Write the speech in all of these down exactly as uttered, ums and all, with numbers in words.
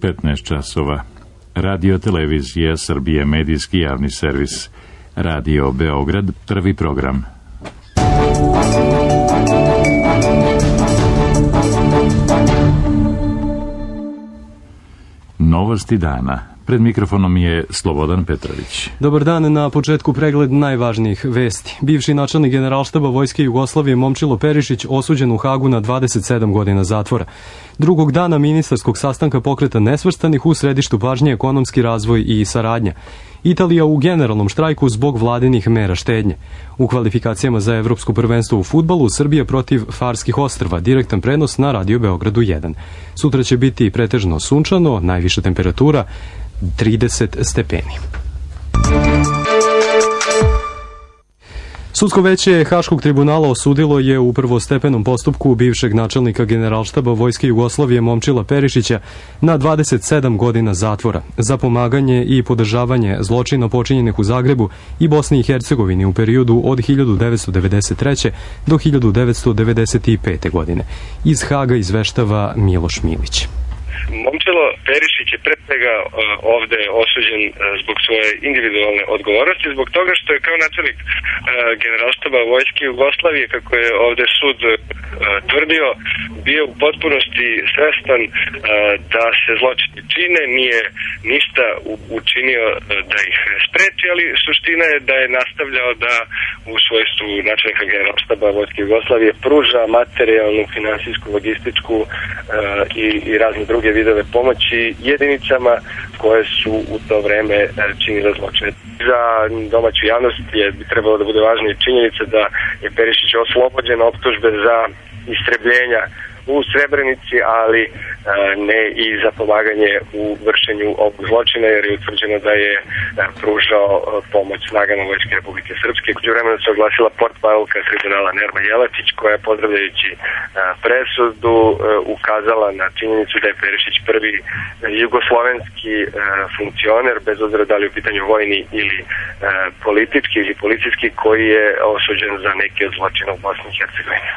petnaest časova. Radio televizija Srbije, medijski javni servis. Radio Beograd, prvi program. Novosti dana. Pred mikrofonom je Slobodan Petrović. Dobar dan, na početku pregled najvažnijih vesti. Bivši načelnik Generalštaba Vojske Jugoslavije Momčilo Perišić osuđen u Hagu na dvadeset sedam godina zatvora. Drugog dana ministarskog sastanka Pokreta nesvrstanih u središtu pažnje ekonomski razvoj i saradnja. Italija u generalnom štrajku zbog vladinih mera štednje. U kvalifikacijama za evropsko prvenstvo u fudbalu Srbija protiv Farskih ostrva, direktan prenos na Radio Beogradu jedan. Sutra će biti pretežno sunčano, najviša temperatura trideset stepeni. Sudsko veće Haškog tribunala osudilo je u prvostepenom postupku bivšeg načelnika Generalštaba Vojske Jugoslavije Momčila Perišića na dvadeset sedam godina zatvora za pomaganje i podržavanje zločina počinjenih u Zagrebu i Bosni i Hercegovini u periodu od hiljadu devetsto devedeset treće do hiljadu devetsto devedeset pete godine. Iz Haga izveštava Miloš Milić. Momčilo Perišić je pre svega ovde osuđen zbog svoje individualne odgovornosti, zbog toga što je kao načelnik Generalštaba Vojske Jugoslavije, kako je ovde sud tvrdio, bio u potpunosti svestan da se zločini čine, nije ništa učinio da ih spreči, ali suština je da je nastavljao da u svojstvu načelnika Generalštaba Vojske Jugoslavije pruža materijalnu, finansijsku, logističku i, i razne druge vidove pomoći jedinicama koje su u to vreme činile zločine. Za domaću javnost je bi trebalo da bude važna i činjenica da je Perišić oslobođen optužbe za istrebljenja u Srebrenici, ali ne i za pomaganje u vršenju ovog zločina, jer je utvrđeno da je pružao pomoć snagama Vojske Republike Srpske. Uđe vremena se oglasila portparolka tribunala Nerma Jelačić, koja je pozdravljajući presudu ukazala na činjenicu da je Perišić prvi jugoslovenski funkcioner, bez obzira da li u pitanju vojni ili politički ili policijski, koji je osuđen za neke od zločina u Bosni i Hercegovini.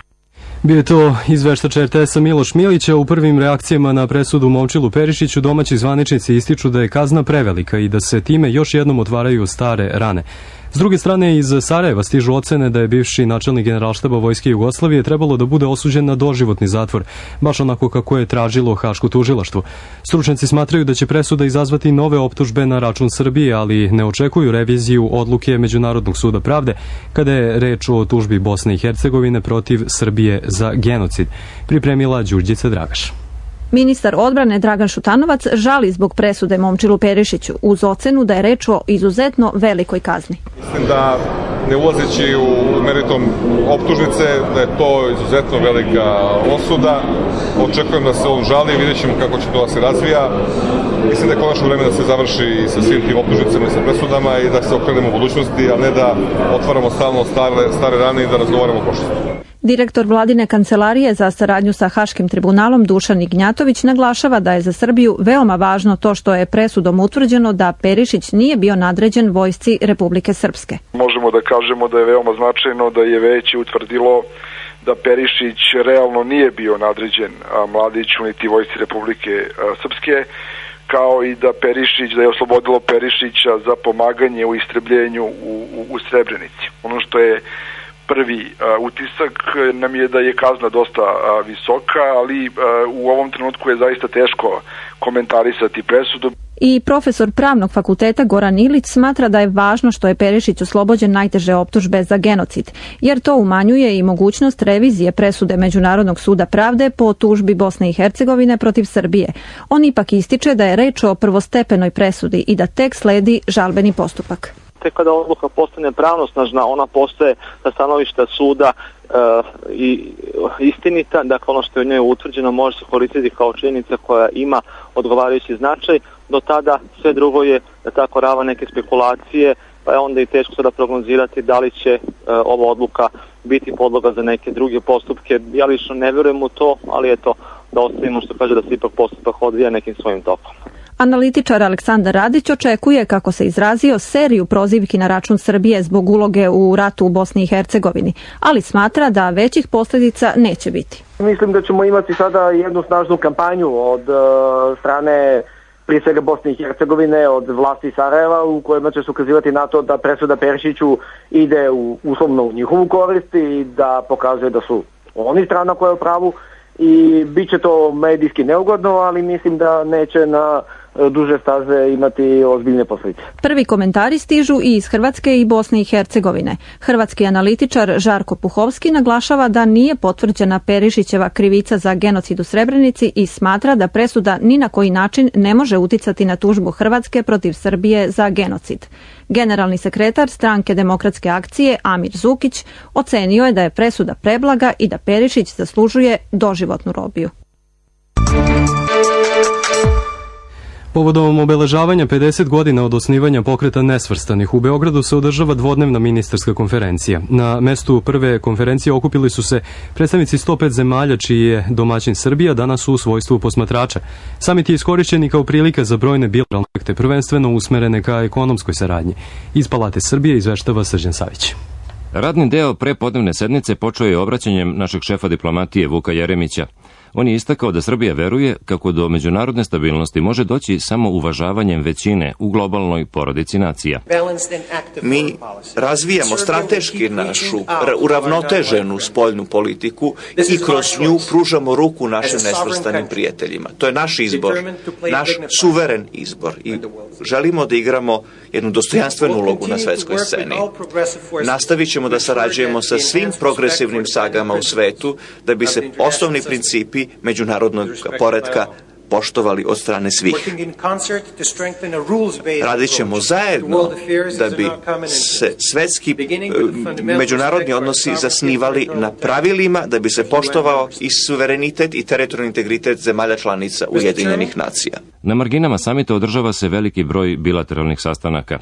Bio je to izveštač er te esa Miloš Milića. U prvim reakcijama na presudu Momčilu Perišiću domaći zvaničnici ističu da je kazna prevelika i da se time još jednom otvaraju stare rane. S druge strane, iz Sarajeva stižu ocene da je bivši načelnik Generalštaba Vojske Jugoslavije trebalo da bude osuđen na doživotni zatvor, baš onako kako je tražilo Haško tužilaštvo. Stručnjaci smatraju da će presuda izazvati nove optužbe na račun Srbije, ali ne očekuju reviziju odluke Međunarodnog suda pravde kada je reč o tužbi Bosne i Hercegovine protiv Srbije za genocid. Pripremila Đurđica Dragaš. Ministar odbrane Dragan Šutanovac žali zbog presude Momčilu Perišiću uz ocenu da je reč o izuzetno velikoj kazni. Mislim da, ne ulazeći u meritum optužnice, da je to izuzetno velika osuda. Očekujem da se on žali, vidjet ćemo kako će to da se razvija. Mislim da je konačno vreme da se završi sa svim tim optužnicama i sa presudama i da se okrenemo u budućnosti, a ne da otvaramo stalno stare, stare rane i da razgovaramo o prošlosti. Direktor vladine kancelarije za saradnju sa Haškim tribunalom Dušan Ignjatović naglašava da je za Srbiju veoma važno to što je presudom utvrđeno da Perišić nije bio nadređen vojsci Republike Srpske. Možemo da kažemo da je veoma značajno da je veće utvrdilo da Perišić realno nije bio nadređen Mladiću niti vojsci Republike Srpske, kao i da Perišić, da je oslobodilo Perišića za pomaganje u istrebljenju u, u, u Srebrenici. Ono što je prvi uh, utisak nam je da je kazna dosta uh, visoka, ali uh, u ovom trenutku je zaista teško komentarisati presudu. I profesor Pravnog fakulteta Goran Ilić smatra da je važno što je Perišić oslobođen najteže optužbe za genocid, jer to umanjuje i mogućnost revizije presude Međunarodnog suda pravde po tužbi Bosne i Hercegovine protiv Srbije. On ipak ističe da je reč o prvostepenoj presudi i da tek sledi žalbeni postupak. Tek kada odluka postane pravnosnažna, ona postaje sa stanovišta suda e, i istinita, dakle ono što je u njoj utvrđeno može se koristiti kao činjenica koja ima odgovarajući značaj. Do tada sve drugo je da tako rava neke spekulacije, pa je onda i teško sada prognozirati da li će e, ova odluka biti podloga za neke druge postupke. Ja lično ne vjerujem u to, ali eto da ostavimo što kaže da se ipak postupak odvija nekim svojim tokom. Analitičar Aleksandar Radić očekuje, kako se izrazio, seriju prozivki na račun Srbije zbog uloge u ratu u Bosni i Hercegovini, ali smatra da većih posljedica neće biti. Mislim da ćemo imati sada jednu snažnu kampanju od uh, strane prije svega Bosne i Hercegovine, od vlasti Sarajeva, u kojima će se ukazivati na to da presuda Perišiću ide u, uslovno u njihovu korist i da pokazuje da su oni strana koja je u pravu, i bit će to medijski neugodno, ali mislim da neće na duže staze imati ozbiljne posljedice. Prvi komentari stižu i iz Hrvatske i Bosne i Hercegovine. Hrvatski analitičar Žarko Puhovski naglašava da nije potvrđena Perišićeva krivica za genocid u Srebrenici i smatra da presuda ni na koji način ne može uticati na tužbu Hrvatske protiv Srbije za genocid. Generalni sekretar Stranke demokratske akcije Amir Zukić ocenio je da je presuda preblaga i da Perišić zaslužuje doživotnu robiju. Povodom obeležavanja pedeset godina od osnivanja Pokreta nesvrstanih u Beogradu se održava dvodnevna ministarska konferencija. Na mestu prve konferencije okupili su se predstavnici sto pet zemalja čiji je domaćin Srbija, danas u svojstvu posmatrača. Samit je iskorišćen i kao prilika za brojne bilateralne projekte, prvenstveno usmerene ka ekonomskoj saradnji. Iz Palate Srbije izveštava Srđan Savić. Radni deo prepodnevne sednice počeo je obraćanjem našeg šefa diplomatije Vuka Jeremića. On je istakao da Srbija veruje kako do međunarodne stabilnosti može doći samo uvažavanjem većine u globalnoj porodici nacija. Mi razvijamo strateški našu uravnoteženu spoljnu politiku i kroz nju pružamo ruku našim nesvrstanim prijateljima. To je naš izbor, naš suveren izbor i želimo da igramo jednu dostojanstvenu ulogu na svetskoj sceni. Nastavit ćemo da sarađujemo sa svim progresivnim sagama u svetu da bi se osnovni principi međunarodnog poretka poštovali od strane svih. Radit ćemo zajedno da bi se svetski međunarodni odnosi zasnivali na pravilima, da bi se poštovao i suverenitet i teritorijalni integritet zemalja članica Ujedinjenih nacija. Na marginama samita održava se veliki broj bilateralnih sastanaka.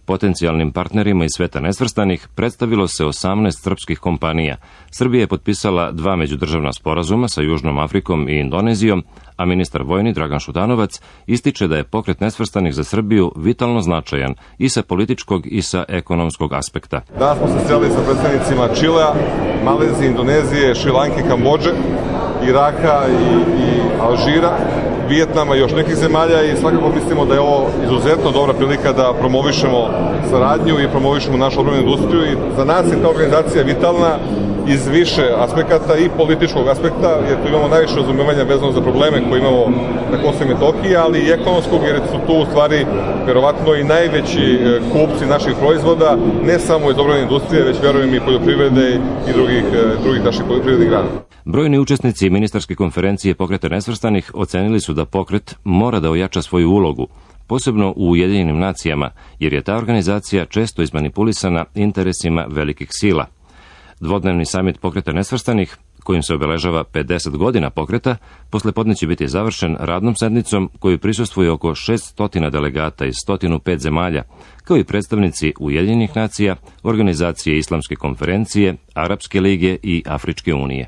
Potencijalnim partnerima iz sveta nesvrstanih predstavilo se osamnaest srpskih kompanija. Srbija je potpisala dva međudržavna sporazuma sa Južnom Afrikom i Indonezijom, a ministar vojni Dragan Šutanovac ističe da je Pokret nesvrstanih za Srbiju vitalno značajan i sa političkog i sa ekonomskog aspekta. Danas smo se sreli sa predstavnicima Čilea, Malezije, Indonezije, Šrilanke, Kambodže, Iraka i, i Alžira, Vijetnama i još nekih zemalja, i svakako mislimo da je ovo izuzetno dobra prilika da promovišemo saradnju i promovišemo našu odbrambenu industriju, i za nas je ta organizacija vitalna iz više aspekata, i političkog aspekta, jer tu imamo najviše razumevanja vezano za probleme koje imamo na Kosovu i Metohiji, ali i ekonomskog, jer su tu u stvari verovatno i najveći kupci naših proizvoda, ne samo iz odbrambene industrije, već verujem i poljoprivrede i drugih, drugih naših poljoprivrednih grana. Brojni učesnici ministarske konferencije Pokreta nesvrstanih ocenili su da pokret mora da ojača svoju ulogu, posebno u Ujedinjenim nacijama, jer je ta organizacija često izmanipulisana interesima velikih sila. Dvodnevni samit Pokreta nesvrstanih, kojim se obeležava pedeset godina pokreta, poslepodne će biti završen radnom sednicom koju prisustvuje oko šesnaest delegata iz sto pet zemalja, kao i predstavnici Ujedinjenih nacija, Organizacije Islamske konferencije, Arapske lige i Afričke unije.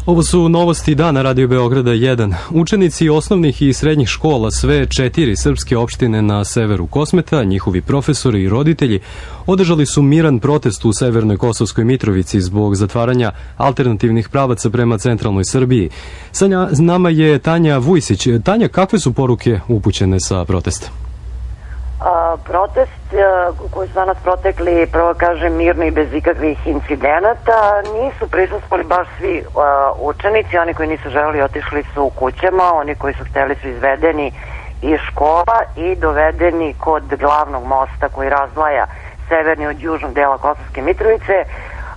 Ovo su novosti dana Radio Beograda jedan. Učenici osnovnih i srednjih škola sve četiri srpske opštine na severu Kosmeta, njihovi profesori i roditelji, održali su miran protest u severnoj Kosovskoj Mitrovici zbog zatvaranja alternativnih pravaca prema centralnoj Srbiji. Sa nama je Tanja Vujsić. Tanja, kakve su poruke upućene sa protesta? A, protest a, koji su danas protekli, prvo kažem, mirno i bez ikakvih incidenata, nisu prisustvovali baš svi a, učenici. Oni koji nisu želeli otišli su u kućama, oni koji su hteli su izvedeni iz škola i dovedeni kod glavnog mosta koji razdvaja severni od južnog dela Kosovske Mitrovice.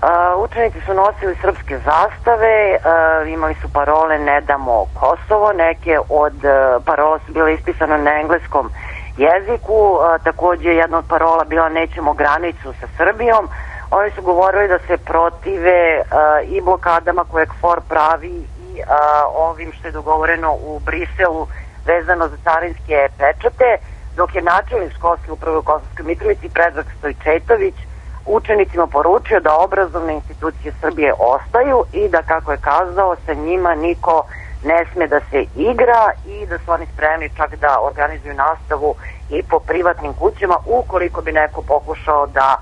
A, učenici su nosili srpske zastave, a, imali su parole "Ne damo Kosovo", neke od a, parola su bile ispisane na engleskom jeziku, a, takođe jedna od parola bila "Nećemo granicu sa Srbijom". Oni su govorili da se protive a, i blokadama koje K F O R pravi i a, ovim što je dogovoreno u Briselu vezano za carinske pečate, dok je načelnik školske uprave u Kosovskoj Mitrovici Predrag Stojčetović učenicima poručio da obrazovne institucije Srbije ostaju i da, kako je kazao, sa njima niko ne sme da se igra i da su oni spremni čak da organizuju nastavu i po privatnim kućama ukoliko bi neko pokušao da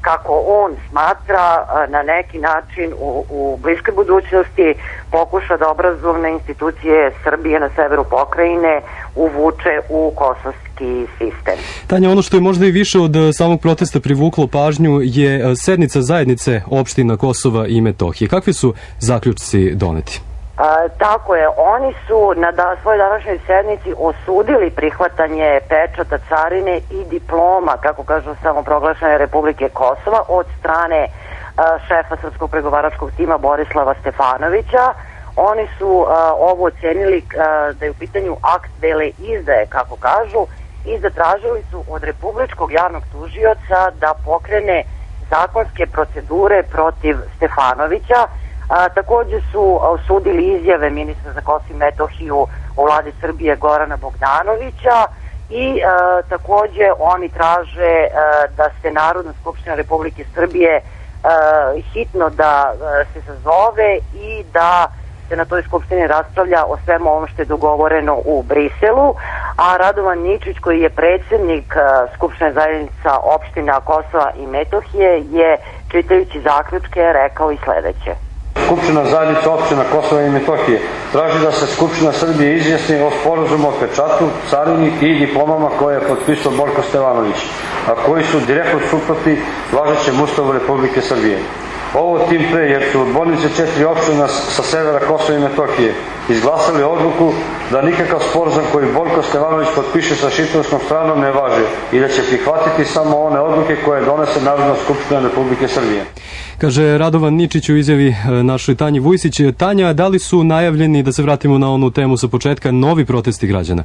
kako on smatra, na neki način u, u bliskoj budućnosti pokuša da obrazovne institucije Srbije na severu pokrajine uvuče u kosovski sistem. Tanja, ono što je možda i više od samog protesta privuklo pažnju je sednica zajednice opština Kosova i Metohije. Kakvi su zaključci doneti? A, tako je, oni su na da, svojoj današnjoj sednici osudili prihvatanje pečata carine i diploma, kako kažu samoproglašene Republike Kosova, od strane a, šefa srpskog pregovaračkog tima Borislava Stefanovića. Oni su a, ovo ocenili a, da je u pitanju akt vele izdaje, kako kažu, i zatražili su od Republičkog javnog tužioca da pokrene zakonske procedure protiv Stefanovića. A, takođe su osudili izjave ministra za Kosovo i Metohiju u vladi Srbije Gorana Bogdanovića i a, takođe oni traže a, da se Narodna skupština Republike Srbije a, hitno da a, se sazove i da se na toj skupštini raspravlja o svemu ovom što je dogovoreno u Briselu, a Radovan Ničić, koji je predsjednik a, Skupštine zajednica opština Kosova i Metohije, je čitajući zaključke rekao i sledeće. Skupština zajednica opština Kosova i Metohije traži da se Skupština Srbije izjasni o sporazumu o pečatu, carini i diplomama koje je potpisao Borko Stefanović, a koji su direktno suprotni važećem Ustavu Republike Srbije. Ovo tim pre jer su odbornici četiri opština sa severa Kosova i Metohije izglasali odluku da nikakav sporazum koji Borko Stefanović potpiše sa šiptarskom stranom ne važi i da će prihvatiti samo one odluke koje donese Narodna skupština Republike Srbije. Kaže Radovan Ničić u izjavi našoj Tanji Vujsić. Tanja, da li su najavljeni, da se vratimo na onu temu sa početka, novi protesti građana?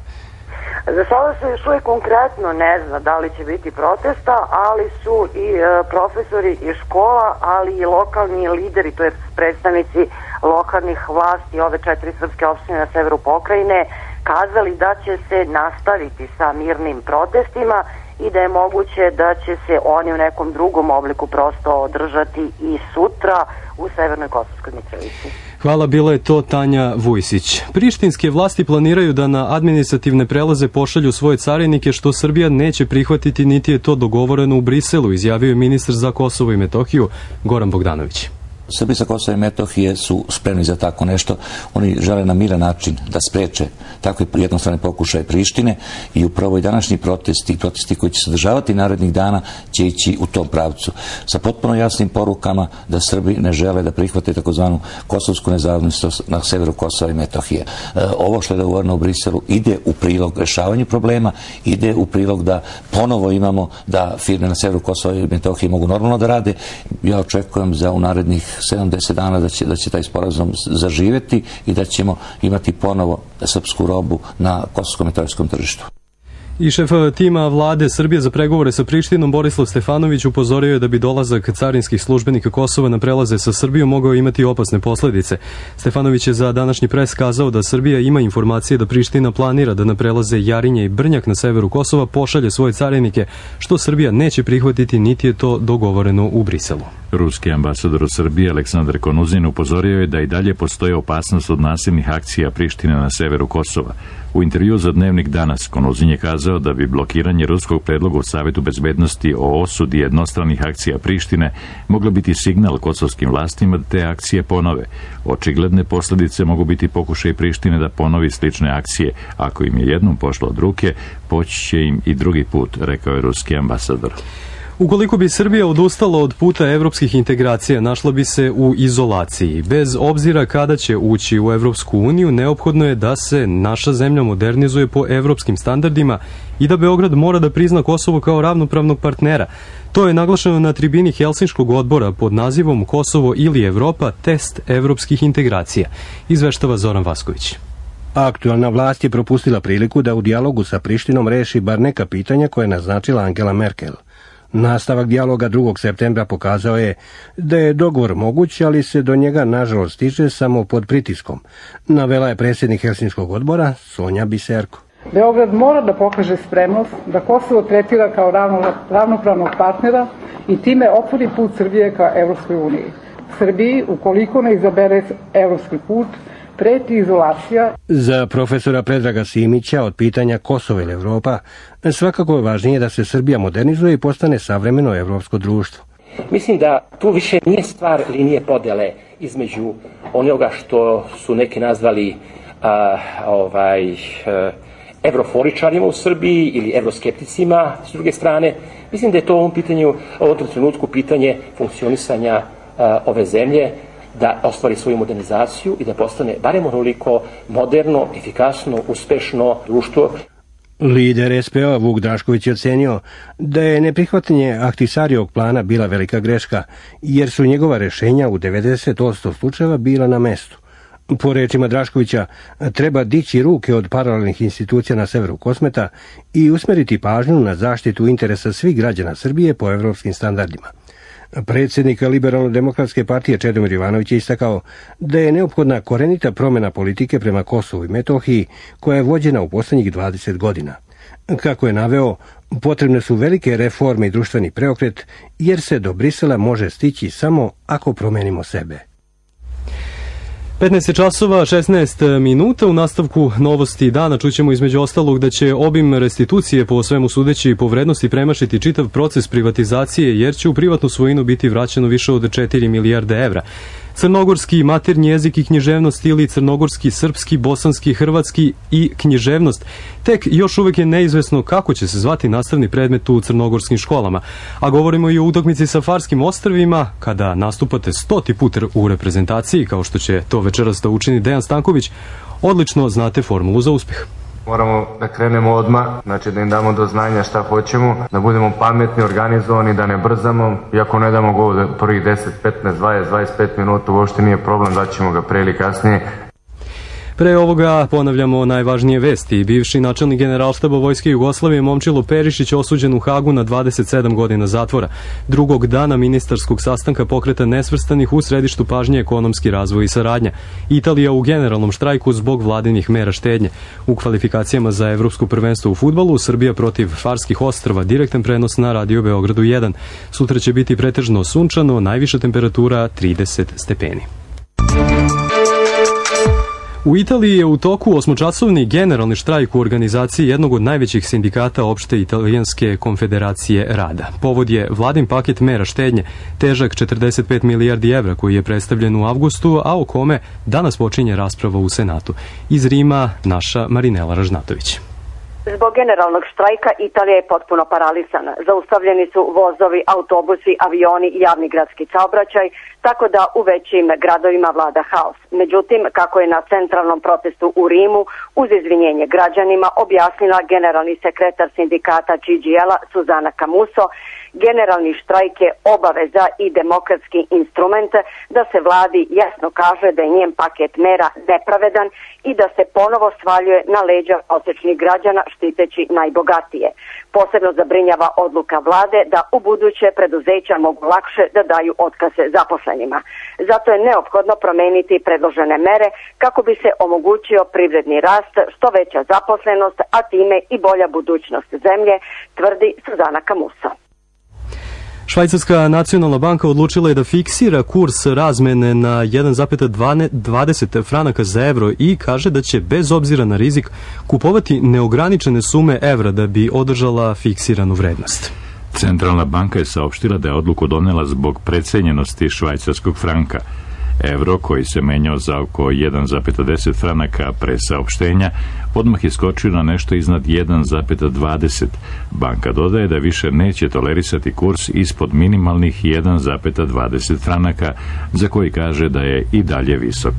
Za sada se još uvijek konkretno ne zna da li će biti protesta, ali su i e, profesori iz škola, ali i lokalni lideri, to je predstavnici lokalnih vlasti ove četiri srpske opštine na severu pokrajine, kazali da će se nastaviti sa mirnim protestima i da je moguće da će se oni u nekom drugom obliku prosto održati i sutra u Severnoj Kosovskoj Mitrovici. Hvala, bila je to Tanja Vujsić. Prištinske vlasti planiraju da na administrativne prelaze pošalju svoje carinike, što Srbija neće prihvatiti, niti je to dogovoreno u Briselu, izjavio je ministar za Kosovo i Metohiju Goran Bogdanović. Srbi sa Kosova i Metohije su spremni za tako nešto. Oni žele na miran način da spreče takve jednostrane pokušaje Prištine i upravo i današnji protesti i protesti koji će se održavati narednih dana će ići u tom pravcu. Sa potpuno jasnim porukama da Srbi ne žele da prihvate takozvanu kosovsku nezavisnost na severu Kosova i Metohije. Ovo što je dogovoreno u Briselu ide u prilog rešavanju problema, ide u prilog da ponovo imamo da firme na severu Kosova i Metohije mogu normalno da rade. Ja očekujem za u narednih sedamdeset dana da će, da će taj sporazum zaživeti i da ćemo imati ponovo srpsku robu na kosovsko-metohijskom tržištu. I šef tima vlade Srbije za pregovore sa Prištinom Borislav Stefanović upozorio je da bi dolazak carinskih službenika Kosova na prelaze sa Srbijom mogao imati opasne posledice. Stefanović je za današnji pres kazao da Srbija ima informacije da Priština planira da na prelaze Jarinje i Brnjak na severu Kosova pošalje svoje carinike, što Srbija neće prihvatiti, niti je to dogovoreno u Briselu. Ruski ambasador u Srbiji Aleksandar Konuzin upozorio je da i dalje postoji opasnost od nasilnih akcija Prištine na severu Kosova. U intervju za Dnevnik danas Konuzin je kazao da bi blokiranje ruskog predloga u Savetu bezbednosti o osudi jednostranih akcija Prištine moglo biti signal kosovskim vlastima da te akcije ponove. Očigledne posljedice mogu biti pokušaj Prištine da ponovi slične akcije. Ako im je jednom pošlo od ruke, poći će im i drugi put, rekao je ruski ambasador. Ukoliko bi Srbija odustala od puta evropskih integracija, našla bi se u izolaciji. Bez obzira kada će ući u Evropsku uniju, neophodno je da se naša zemlja modernizuje po evropskim standardima i da Beograd mora da prizna Kosovo kao ravnopravnog partnera. To je naglašeno na tribini Helsinškog odbora pod nazivom Kosovo ili Evropa, test evropskih integracija. Izveštava Zoran Vasković. Aktualna vlast je propustila priliku da u dijalogu sa Prištinom reši bar neka pitanja koje je naznačila Angela Merkel. Nastavak dijaloga drugog septembra pokazao je da je dogovor moguć, ali se do njega nažalost stiže samo pod pritiskom, navela je predsjednik Helsinškog odbora Sonja Biserko. Beograd mora da pokaže spremnost da Kosovo tretira kao ravnopravnog partnera i time otvori put Srbije ka Evropskoj uniji. Srbiji, ukoliko ne izabere evropski put, preti izolacija. Za profesora Predraga Simića od pitanja Kosovo ili Evropa, svakako je važnije da se Srbija modernizuje i postane savremeno evropsko društvo. Mislim da tu više nije stvar linije podele između onoga što su neki nazvali a, ovaj, a, evroforičarima u Srbiji ili evroskepticima s druge strane. Mislim da je to u ovom pitanju, u ovom trenutku pitanje funkcionisanja a, ove zemlje, da ostvari svoju modernizaciju i da postane barem onoliko moderno, efikasno, uspešno društvo. Lider es pe o Vuk Drašković je ocenio da je neprihvatanje Ahtisarijevog plana bila velika greška, jer su njegova rešenja u devedeset posto slučajeva bila na mestu. Po rečima Draškovića, treba dići ruke od paralelnih institucija na severu Kosmeta i usmeriti pažnju na zaštitu interesa svih građana Srbije po evropskim standardima. Predsjednik Liberalno-demokratske partije Čedomir Jovanović je istakao da je neophodna korenita promjena politike prema Kosovu i Metohiji koja je vođena u posljednjih dvadeset godina. Kako je naveo, potrebne su velike reforme i društveni preokret, jer se do Brisela može stići samo ako promenimo sebe. petnaest časova šesnaest minuta. U nastavku novosti dana čućemo između ostalog da će obim restitucije po svemu sudeći po vrednosti premašiti čitav proces privatizacije, jer će u privatnu svojinu biti vraćeno više od četiri milijarde evra. Crnogorski maternji jezik i književnost ili crnogorski, srpski, bosanski, hrvatski i književnost. Tek još uvek je neizvesno kako će se zvati nastavni predmet u crnogorskim školama. A govorimo i o utakmici sa Farskim ostrvima, kada nastupate stoti put u reprezentaciji, kao što će to večeras da učini Dejan Stanković. Odlično znate formulu za uspjeh. Moramo da krenemo odmah, znači da im damo do znanja šta hoćemo, da budemo pametni, organizovani, da ne brzamo. Iako ne damo gol prvih deset, petnaest, dvadeset, dvadeset pet minuta, uopšte nije problem, daćemo ga pre ili kasnije. Pre ovoga ponavljamo najvažnije vesti. Bivši načelnik Generalštaba Vojske Jugoslavije Momčilo Perišić osuđen u Hagu na dvadeset sedam godina zatvora. Drugog dana ministarskog sastanka Pokreta nesvrstanih u središtu pažnje ekonomski razvoj i saradnja. Italija u generalnom štrajku zbog vladinih mera štednje. U kvalifikacijama za evropsko prvenstvo u fudbalu Srbija protiv Farskih ostrva, direktan prenos na Radio Beogradu jedan. Sutra će biti pretežno sunčano, najviša temperatura trideset stepeni. U Italiji je u toku osmočasovni generalni štrajk u organizaciji jednog od najvećih sindikata opšte italijanske konfederacije rada. Povod je vladin paket mera štednje, težak četrdeset pet milijardi evra koji je predstavljen u avgustu, a o kome danas počinje rasprava u Senatu. Iz Rima naša Marinela Ražnatović. Zbog generalnog štrajka Italija je potpuno paralisana. Zaustavljeni su vozovi, autobusi, avioni i javni gradski saobraćaj, tako da u većim gradovima vlada haos. Međutim, kako je na centralnom protestu u Rimu, uz izvinjenje građanima, objasnila generalni sekretar sindikata G G L-a Suzana Camuso, generalni štrajk je obaveza i demokratski instrument da se vladi jasno kaže da je njen paket mera nepravedan i da se ponovo svaljuje na leđa prosječnih građana štiteći najbogatije. Posebno zabrinjava odluka vlade da u buduće preduzeća mogu lakše da daju otkaze zaposlenima. Zato je neophodno promeniti predložene mere kako bi se omogućio privredni rast, što veća zaposlenost, a time i bolja budućnost zemlje, tvrdi Suzana Camuso. Švajcarska nacionalna banka odlučila je da fiksira kurs razmene na jedan zarez dvadeset franaka za evro i kaže da će bez obzira na rizik kupovati neograničene sume evra da bi održala fiksiranu vrednost. Centralna banka je saopštila da je odluku donela zbog precenjenosti švajcarskog franka. Evro, koji se menjao za oko jedan zarez deset franaka pre saopštenja, odmah je skočio na nešto iznad jedan zarez dvadeset. Banka dodaje da više neće tolerisati kurs ispod minimalnih jedan zarez dvadeset franaka, za koji kaže da je i dalje visok.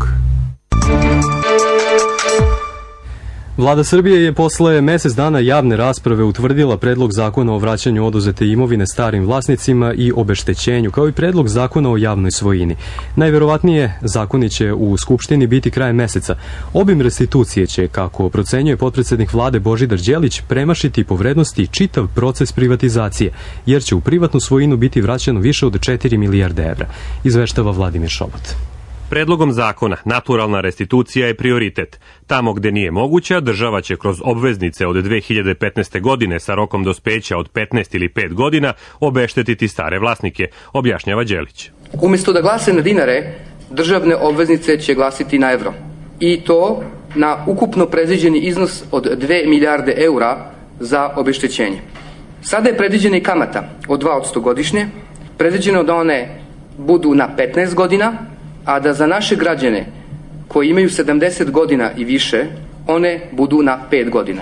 Vlada Srbije je posle mesec dana javne rasprave utvrdila predlog zakona o vraćanju oduzete imovine starim vlasnicima i obeštećenju, kao i predlog zakona o javnoj svojini. Najverovatnije zakoni će u Skupštini biti krajem meseca. Obim restitucije će, kako procenjuje potpredsednik vlade Božidar Đelić, premašiti po vrednosti čitav proces privatizacije, jer će u privatnu svojinu biti vraćano više od četiri milijarde evra, izveštava Vladimir Šobot. Predlogom zakona naturalna restitucija je prioritet. Tamo gde nije moguća, država će kroz obveznice od dve hiljade petnaeste. godine sa rokom dospeća od petnaest ili pet godina obeštetiti stare vlasnike, objašnjava Đelić. Umjesto da glase na dinare, državne obveznice će glasiti na evro. I to na ukupno predviđeni iznos od dve milijarde eura za obeštećenje. Sada je predviđena i kamata od dva posto godišnje, predviđeno da one budu na petnaest godina, a da za naše građane koji imaju sedamdeset godina i više, one budu na pet godina.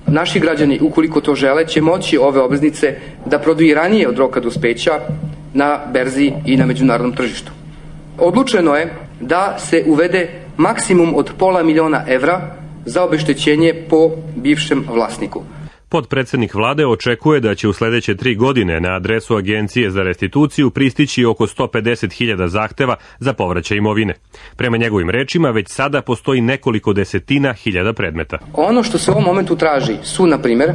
Naši građani, ukoliko to žele, će moći ove obveznice da prodaju i ranije od roka dospeća na berzi i na međunarodnom tržištu. Odlučeno je da se uvede maksimum od pola miliona evra za obeštećenje po bivšem vlasniku. Potpredsednik vlade očekuje da će u sledeće tri godine na adresu Agencije za restituciju pristići oko sto pedeset hiljada zahteva za povraćaj imovine. Prema njegovim rečima, već sada postoji nekoliko desetina hiljada predmeta. Ono što se u ovom momentu traži su, na primjer,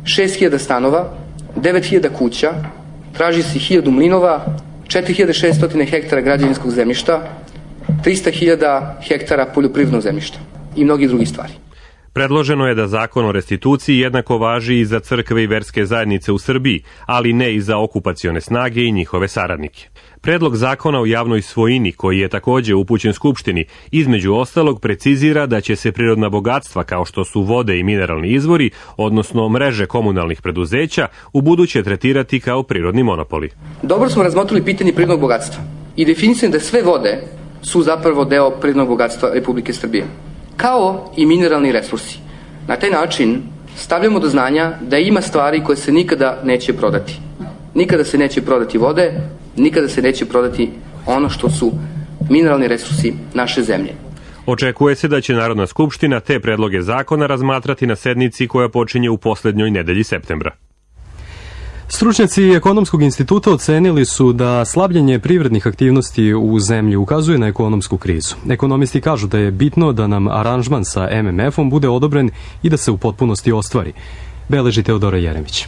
šest hiljada stanova, devet hiljada kuća, traži se hiljadu mlinova, četiri hiljade šeststo hektara građevinskog zemljišta, trista hiljada hektara poljoprivrednog zemljišta i mnogi drugi stvari. Predloženo je da zakon o restituciji jednako važi i za crkve i verske zajednice u Srbiji, ali ne i za okupacione snage i njihove saradnike. Predlog zakona o javnoj svojini, koji je takođe upućen Skupštini, između ostalog precizira da će se prirodna bogatstva kao što su vode i mineralni izvori, odnosno mreže komunalnih preduzeća, u buduće tretirati kao prirodni monopoli. Dobro smo razmotrili pitanje prirodnog bogatstva i definisano da sve vode su zapravo deo prirodnog bogatstva Republike Srbije, kao i mineralni resursi. Na taj način stavljamo do znanja da ima stvari koje se nikada neće prodati. Nikada se neće prodati vode, nikada se neće prodati ono što su mineralni resursi naše zemlje. Očekuje se da će Narodna skupština te predloge zakona razmatrati na sednici koja počinje u poslednjoj nedelji septembra. Stručnjaci Ekonomskog instituta ocenili su da slabljenje privrednih aktivnosti u zemlji ukazuje na ekonomsku krizu. Ekonomisti kažu da je bitno da nam aranžman sa M M F-om bude odobren i da se u potpunosti ostvari. Beleži Teodora Jeremić.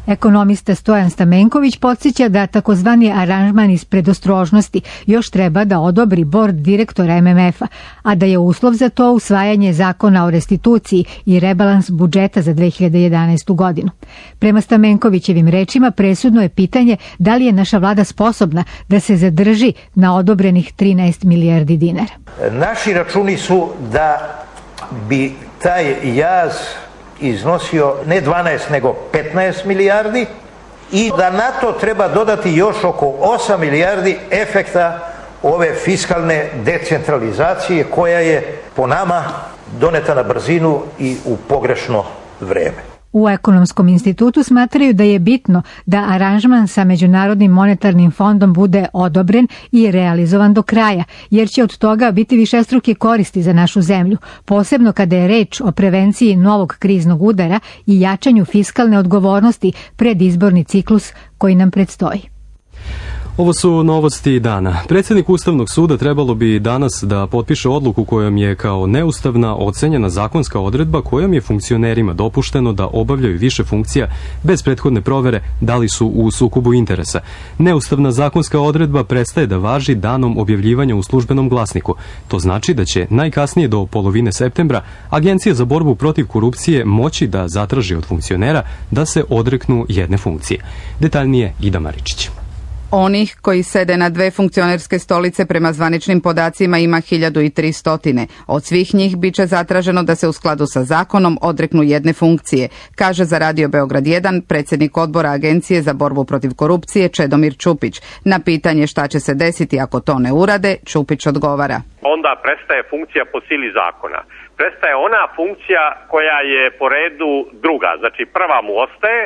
Ekonomista Stojan Stamenković podsjeća da takozvani aranžman iz predostrožnosti još treba da odobri bord direktora M M F-a, a da je uslov za to usvajanje zakona o restituciji i rebalans budžeta za dve hiljade jedanaestu godinu. Prema Stamenkovićevim rečima presudno je pitanje da li je naša vlada sposobna da se zadrži na odobrenih trinaest milijardi dinara. Naši računi su da bi taj jaz iznosio ne dvanaest nego petnaest milijardi i da na to treba dodati još oko osam milijardi efekta ove fiskalne decentralizacije koja je po nama doneta na brzinu i u pogrešno vreme. U Ekonomskom institutu smatraju da je bitno da aranžman sa Međunarodnim monetarnim fondom bude odobren i realizovan do kraja, jer će od toga biti višestruke koristi za našu zemlju, posebno kada je reč o prevenciji novog kriznog udara i jačanju fiskalne odgovornosti pred izborni ciklus koji nam predstoji. Ovo su novosti dana. Predsjednik Ustavnog suda trebalo bi danas da potpiše odluku kojom je kao neustavna ocenjena zakonska odredba kojom je funkcionerima dopušteno da obavljaju više funkcija bez prethodne provere da li su u sukobu interesa. Neustavna zakonska odredba prestaje da važi danom objavljivanja u službenom glasniku. To znači da će najkasnije do polovine septembra Agencija za borbu protiv korupcije moći da zatraži od funkcionera da se odreknu jedne funkcije. Detaljnije Ida Maričić. Onih koji sede na dve funkcionerske stolice prema zvaničnim podacima ima hiljadu tristo. Od svih njih biće zatraženo da se u skladu sa zakonom odreknu jedne funkcije, kaže za Radio Beograd jedan predsjednik odbora Agencije za borbu protiv korupcije Čedomir Čupić. Na pitanje šta će se desiti ako to ne urade, Čupić odgovara. Onda prestaje funkcija po sili zakona. Prestaje ona funkcija koja je po redu druga, znači prva mu ostaje,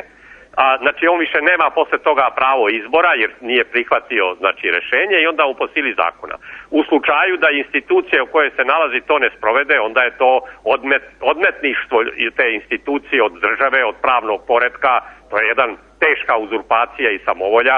a znači on više nema posle toga pravo izbora jer nije prihvatio znači rešenje i onda mu po sili zakona. U slučaju da institucija u kojoj se nalazi to ne sprovede, onda je to odmet, odmetništvo te institucije od države, od pravnog poretka, to je jedan teška uzurpacija i samovolja.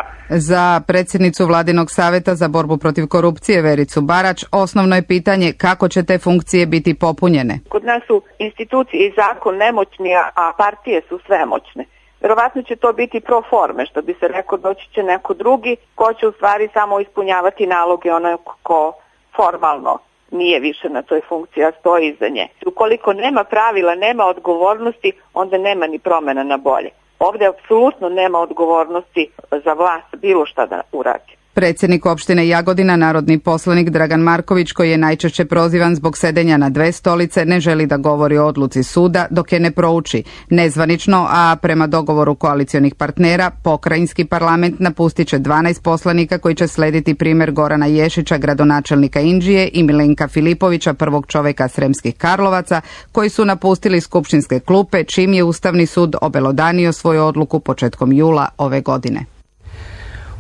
Za predsjednicu Vladinog saveta za borbu protiv korupcije Vericu Barać osnovno je pitanje kako će te funkcije biti popunjene. Kod nas su institucije i zakon nemoćni, a partije su svemoćne. Verovatno će to biti pro forme, što bi se rekao, doći će neko drugi ko će u stvari samo ispunjavati naloge onaj ko formalno nije više na toj funkciji, a stoji iza nje. Ukoliko nema pravila, nema odgovornosti, onda nema ni promjena na bolje. Ovdje apsolutno nema odgovornosti za vlast bilo šta da uradi. Predsjednik opštine Jagodina, narodni poslanik Dragan Marković, koji je najčešće prozivan zbog sedenja na dve stolice, ne želi da govori o odluci suda dok je ne prouči. Nezvanično, a prema dogovoru koalicionih partnera, pokrajinski parlament napustit će dvanaest poslanika koji će slediti primjer Gorana Ješića, gradonačelnika Inđije, i Milenka Filipovića, prvog čoveka Sremskih Karlovaca, koji su napustili skupštinske klupe, čim je Ustavni sud obelodanio svoju odluku početkom jula ove godine.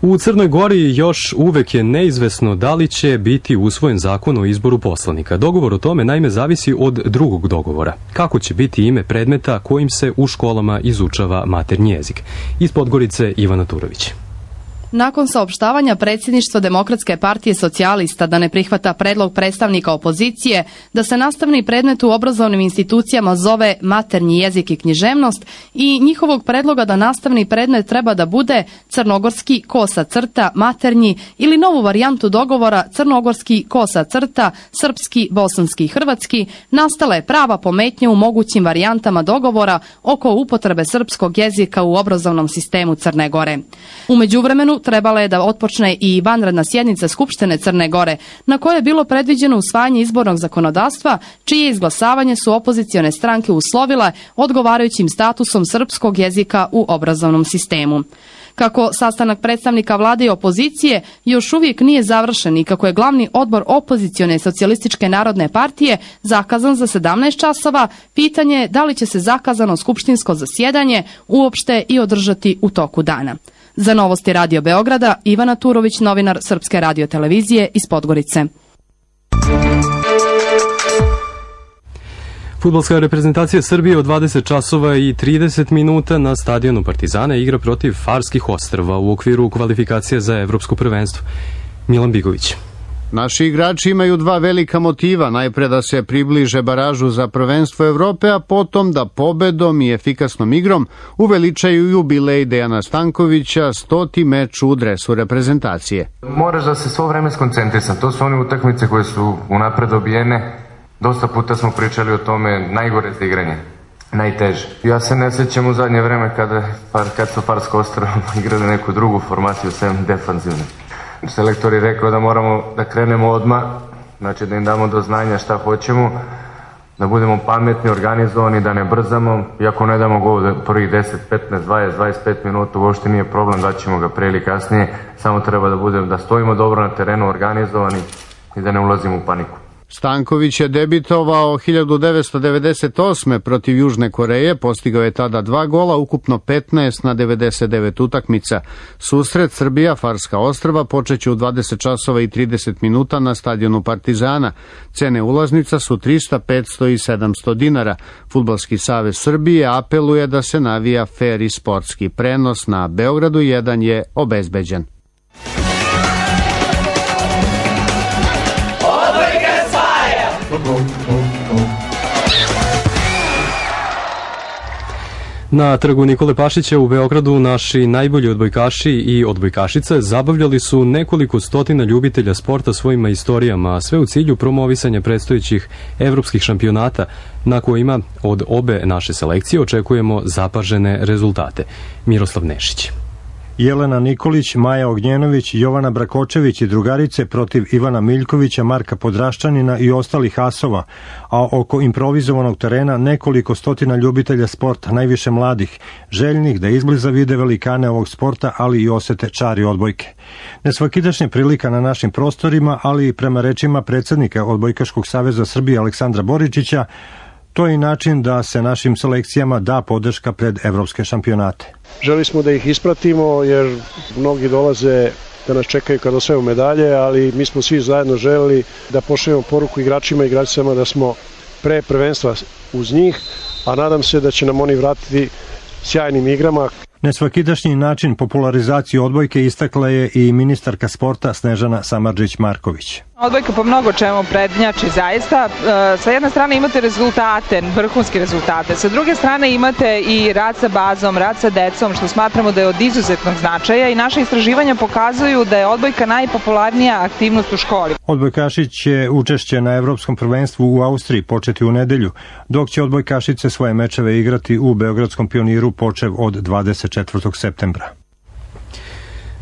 U Crnoj Gori još uvek je neizvesno da li će biti usvojen zakon o izboru poslanika. Dogovor o tome naime zavisi od drugog dogovora. Kako će biti ime predmeta kojim se u školama izučava maternji jezik? Iz Podgorice Ivana Turović. Nakon saopštavanja predsjedništva Demokratske partije socijalista da ne prihvata predlog predstavnika opozicije da se nastavni predmet u obrazovnim institucijama zove maternji jezik i književnost i njihovog predloga da nastavni predmet treba da bude crnogorski kosa crta maternji ili novu varijantu dogovora crnogorski kosa crta srpski, bosanski i hrvatski, nastala je prava pometnja u mogućim varijantama dogovora oko upotrebe srpskog jezika u obrazovnom sistemu Crne Gore. U međuvremenu trebala je da otpočne i vanredna sjednica Skupštine Crne Gore, na kojoj je bilo predviđeno usvajanje izbornog zakonodavstva, čije izglasavanje su opozicione stranke uslovile odgovarajućim statusom srpskog jezika u obrazovnom sistemu. Kako sastanak predstavnika vlade i opozicije još uvijek nije završen i kako je glavni odbor opozicione socijalističke narodne partije zakazan za sedamnaest časova, pitanje je da li će se zakazano skupštinsko zasjedanje uopšte i održati u toku dana. Za Novosti Radio Beograda, Ivana Turović, novinar Srpske radiotelevizije iz Podgorice. Fudbalska reprezentacija Srbije od dvadeset časova i trideset minuta na stadionu Partizana igra protiv Farskih ostrva u okviru kvalifikacije za evropsko prvenstvo. Milan Bigović. Naši igrači imaju dva velika motiva, najpre da se približe baražu za prvenstvo Evrope, a potom da pobedom i efikasnom igrom uveličaju jubilej Dejana Stankovića, stoti meč u dresu reprezentacije. Moraš da se svo vreme skoncentrisan, to su one utakmice koje su unapred obijene. Dosta puta smo pričali o tome, najgore za igranje, najteže. Ja se ne sjećam u zadnje vreme kada, kad su Farsko ostrvo igrali neku drugu formaciju, sem defanzivne. Selektor je rekao da moramo da krenemo odmah, znači da im damo do znanja šta hoćemo, da budemo pametni, organizovani, da ne brzamo. Iako ne damo gol prvih deset, petnaest, dvadeset, dvadeset pet minuta, uopšte nije problem, da ćemo ga pre ili kasnije, samo treba da budemo, da stojimo dobro na terenu, organizovani i da ne ulazimo u paniku. Stanković je debitovao hiljadu devetsto devedeset osme protiv Južne Koreje, postigao je tada dva gola, ukupno petnaest na devedeset devet utakmica. Susret Srbija-Farska ostrva počeće u dvadeset časova i trideset minuta na stadionu Partizana. Cene ulaznica su trista, petsto i sedamsto dinara. Fudbalski savez Srbije apeluje da se navija fer i sportski. Prenos na Beogradu jedan je obezbeđen. Na trgu Nikole Pašića u Beogradu naši najbolji odbojkaši i odbojkašice zabavljali su nekoliko stotina ljubitelja sporta svojim istorijama, a sve u cilju promovisanja predstojećih evropskih šampionata na kojima od obe naše selekcije očekujemo zapažene rezultate. Miroslav Nešić. Jelena Nikolić, Maja Ognjenović, Jovana Brakočević i drugarice protiv Ivana Miljkovića, Marka Podraščanina i ostalih asova, a oko improvizovanog terena nekoliko stotina ljubitelja sporta, najviše mladih, željnih da izbliza vide velikane ovog sporta, ali i osete čari odbojke. Nesvakidašnja prilika na našim prostorima, ali i prema rečima predsjednika Odbojkaškog saveza Srbije Aleksandra Boričića, to je i način da se našim selekcijama da podrška pred evropske šampionate. Želi smo da ih ispratimo jer mnogi dolaze da nas čekaju kad osvajaju medalje, ali mi smo svi zajedno želeli da pošaljemo poruku igračima i igračicama da smo pre prvenstva uz njih, a nadam se da će nam oni vratiti sjajnim igrama. Nesvakidašnji način popularizacije odbojke istakla je i ministarka sporta Snežana Samardžić-Marković. Odbojka po mnogo čemu prednjači zaista. Sa jedne strane imate rezultate, vrhunske rezultate, sa druge strane imate i rad sa bazom, rad sa decom, što smatramo da je od izuzetnog značaja i naše istraživanja pokazuju da je odbojka najpopularnija aktivnost u školi. Odbojkaši će učešće na evropskom prvenstvu u Austriji početi u nedelju, dok će odbojkašice svoje mečeve igrati u Beogradskom Pioniru počev od dvadeset četvrtog septembra.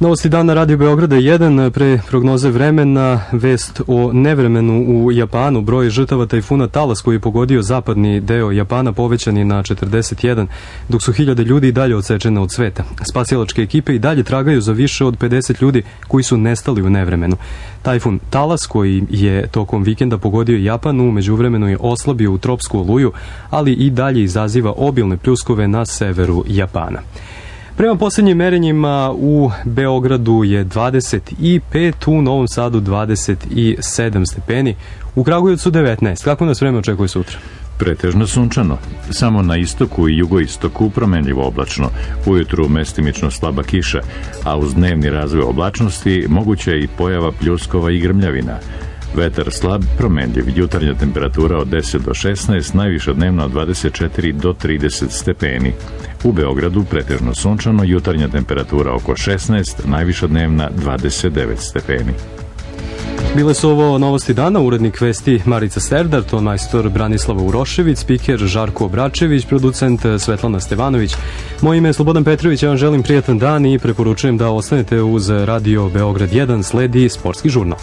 Novosti dana Radio Beograda jedan, pre prognoze vremena, vest o nevremenu u Japanu. Broj žrtava tajfuna Talas koji je pogodio zapadni deo Japana povećan je na četrdeset jedan, dok su hiljade ljudi i dalje odsečene od sveta. Spasilačke ekipe i dalje tragaju za više od pedeset ljudi koji su nestali u nevremenu. Tajfun Talas, koji je tokom vikenda pogodio Japan, u međuvremenu je oslabio u tropsku oluju, ali i dalje izaziva obilne pljuskove na severu Japana. Prema posljednjim merenjima u Beogradu je dvadeset pet, u Novom Sadu dvadeset sedam stepeni, u Kragujevcu devetnaest. Kako nas vreme očekuje sutra? Pretežno sunčano, samo na istoku i jugoistoku promenljivo oblačno, ujutru mestimično slaba kiša, a uz dnevni razvoj oblačnosti moguća je i pojava pljuskova i grmljavina. Vetar slab, promenljiv, jutarnja temperatura od deset do šesnaest, najviša dnevna od dvadeset četiri do trideset stepeni. U Beogradu pretežno sunčano, jutarnja temperatura oko šesnaest, najviša dnevna dvadeset devet stepeni. Bile su ovo novosti dana, urednik vesti Marica Serdar, ton majstor Branislava Urošević, spiker Žarko Obračević, producent Svetlana Stevanović. Moje ime je Slobodan Petrović, ja vam želim prijatan dan i preporučujem da ostanete uz Radio Beograd jedan, sledi sportski žurnal.